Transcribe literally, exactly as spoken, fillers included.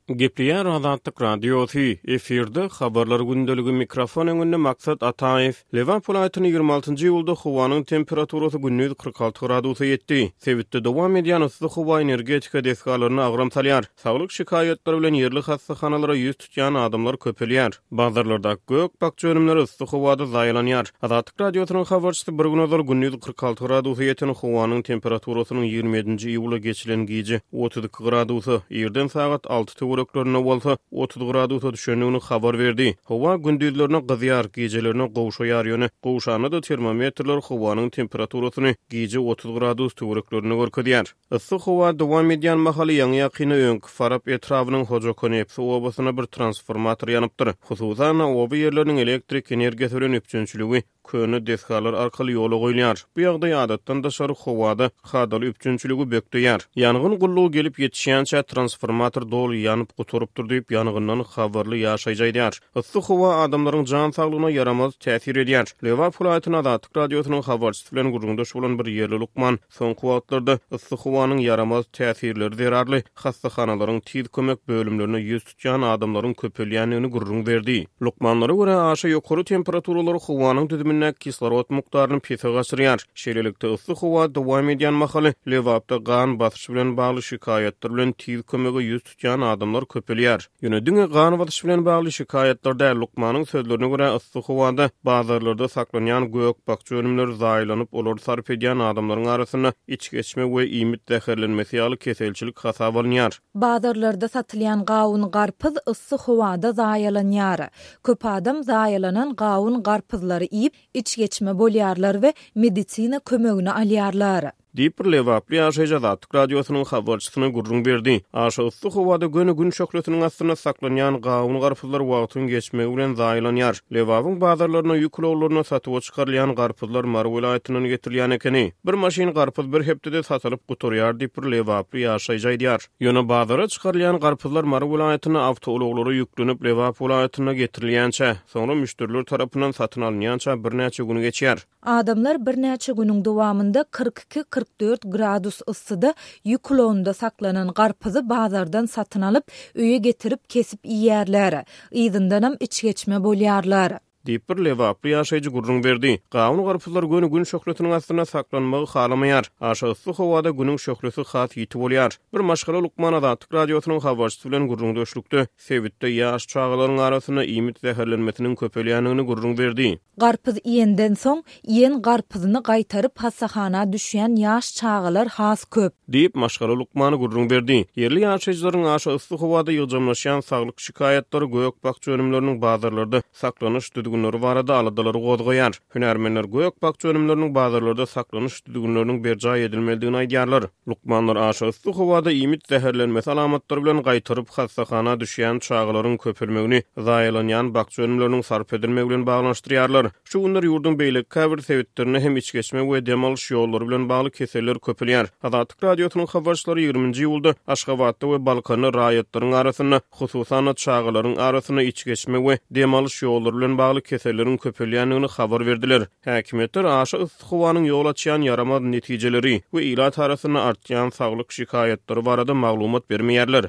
Gepleýär Azatlyk Radiosy, efirde Habarlar gündeligi, mikrofon öňünde Maksat Ataýew. Lebap welaýatynda ýigrimi altynjy iýulda howanyň temperaturasy gündiz kyrk alty gradusa ýetdi. Sebitde dowam edýän yssy howa energetika desgalaryna agram salýar. Saglyk şikaýatlary bilen ýerli hassahanalara ýüz tutýan adamlar köpelýär. Bazarlardaky gök-bakja önümleri yssy howada zaýalanýar. Azatlyk Radiosynyň habarçysy bir gün ozal gündiz kyrk alty gradusa ýeten howanyň temperaturasynyň ýigrimi ýedinji iýula geçilen gije otuz iki gradusa, irden sagat alty töwereklerinde bolsa otuz gradusa düşendigini habar berdi. Howa gündizlerine gyzýar, gijelerine gowşaýar, ýöne gowşanda-da termometrler howanyň temperaturasyny gije otuz gradus töwereklerinde görkezýär. Yssy howa dowam edýän mahaly ýaňy-ýakynda öňki Farap etrabynyň Hojakonepsi obasynda bir transformator ýanypdyr. Hususan-da, oba ýerleriniň elektrik energiýasy bilen üpjünçiligi köne desgalar arkaly ýola goýulýar. Bu ýagdaý adatdan daşary howada kadaly üpjünçiligi bökdeýär. Ýangyn gullugy gelip ýetişýänçä transformator doly ýanyp gutarypdyr diýip, ýangyndan habarly ýaşaýjy aýdýar. Yssy howa adamlaryň jan saglygyna ýaramaz täsir edýär. Lebap welaýatynyň Azatlyk Radiosynyň habarçysy bilen gürrüňdeş bolan bir ýerli lukman soňky wagtlarda yssy howanyň ýaramaz täsirleri zerarly hassahanalaryň tiz kömek bölümlerine ýüz tutýan adamlaryň köpelýändigini gürrüň berdi. Lukmanlara görä, aşa ýokary temperaturalar howanyň düzümindäki kislorod mukdaryny pese gaçyrýar. Şeýlelikde, yssy howa dowam edýän mahaly Lebapda gan basyşy bilen bagly şikaýatlar bilen tiz kömege ýüz tutýan adamlar köpelýär. Ýöne diňe gan basyşy bilen bagly şikaýatlar däl, lukmanyň sözlerine görä, yssy howada bazarlarda saklanýan gök-bakja önümleri zaýalanyp, olary sarp edýän adamlaryň arasynda içgeçme we iýmit zäherlenmesi ýaly keselçilik hasaba alynýar. Bazarlarda satylýan gawun-garpyz yssy howada zaýalanýar. Köp adam zaýalanan gawun-garpyzlary iýip, içgeçme bolýarlar we medisina kömegini alýarlar. Diýip, bir lebaply ýaşaýjy Azatlyk Radiosynyň habarçysyna gürrüň berdi. Aşa yssy howada göni gün şöhlesiniň astynda saklanýan gawun-garpyzlar wagtyň geçmegi bilen zaýalanýar. Lebabyň bazarlaryna ýük ulaglaryna satuwa çykarylýan garpyzlar Mary welaýatyndan getirilýän ekeni. Bir maşyn garpyz bir hepdede satylyp gutarýar diýip, bir lebaply ýaşaýjy aýdýar. Ýöne bazara çykarylýan garpyzlar Mary welaýatynda awtoulaglara ýüklenip, Lebap welaýatyna getirilýänçä, soňra müşderiler tarapyndan satyn alynýança birnäçe gün geçýär. Adamlar birnäçe günüň dowamynda kyrk iki, kyrk dört gradus yssyda ýük ulagynda saklanan garpyzy bazardan satyn alyp, öýe getirip kesip iýýärler. Yzyndanam içgeçme bolýarlar. Diýip, bir lebaply ýaşaýjy gürrüň berdi. Gawun-garpyzlar göni gün şöhlesiniň astynda saklanmagy halamaýar. Aşa yssy howada günüň şöhlesi has ýiti bolýar. Bir maşgala lukman Azatlyk Radiosynyň habarçysy bilen gürrüňdeşlikde sebitde ýaş çagalaryň arasynda iýmit zäherlenmesiniň köpelýändigini gürrüň berdi. Garpyz iýenden soň, iýen garpyzyny gaýtaryp hassahana düşýän ýaş çagalar has köp. Diýip, maşgala lukmany gürrüň berdi. Ýerli ýaşaýjylaryň aşa yssy howada ýygjamlaşýan saglyk şikaýatlary gök-bakja önümleriniň bazarlarda saklanyş düzgünleri barada aladalary gozgaýar. Hünärmenler gök-bakja önümleriniň bazarlarda saklanyş düzgünleriniň berjaý edilmelidigini aýdýarlar. Lukmanlar aşa yssy howada iýmit zäherlenmesi alamatlary bilen gaýtaryp hassahana düşýän çagalaryň köpelmegini zaýalanýan bakja önümleriniň sarp edilmegi bilen baglanyşdyrýarlar. Şu günler ýurduň beýleki käbir sebitlerinde hem içgeçme we dem alyş ýollary bilen bagly keseller köpelýär. Azatlyk Radiosynyň habarçylary ýigriminji iýulda Aşgabatda we Balkanda raýatlaryň arasynda, hususan-da çagalaryň arasynda içgeçme we dem alyş ýollary bilen bagly keselleriň köpelýändigini habar berdiler. Häkimiýetler aşa yssy howanyň ýol açýan ýaramaz netijeleri we ilat arasynda artýan saglyk şikaýatlary barada maglumat bermeýärler.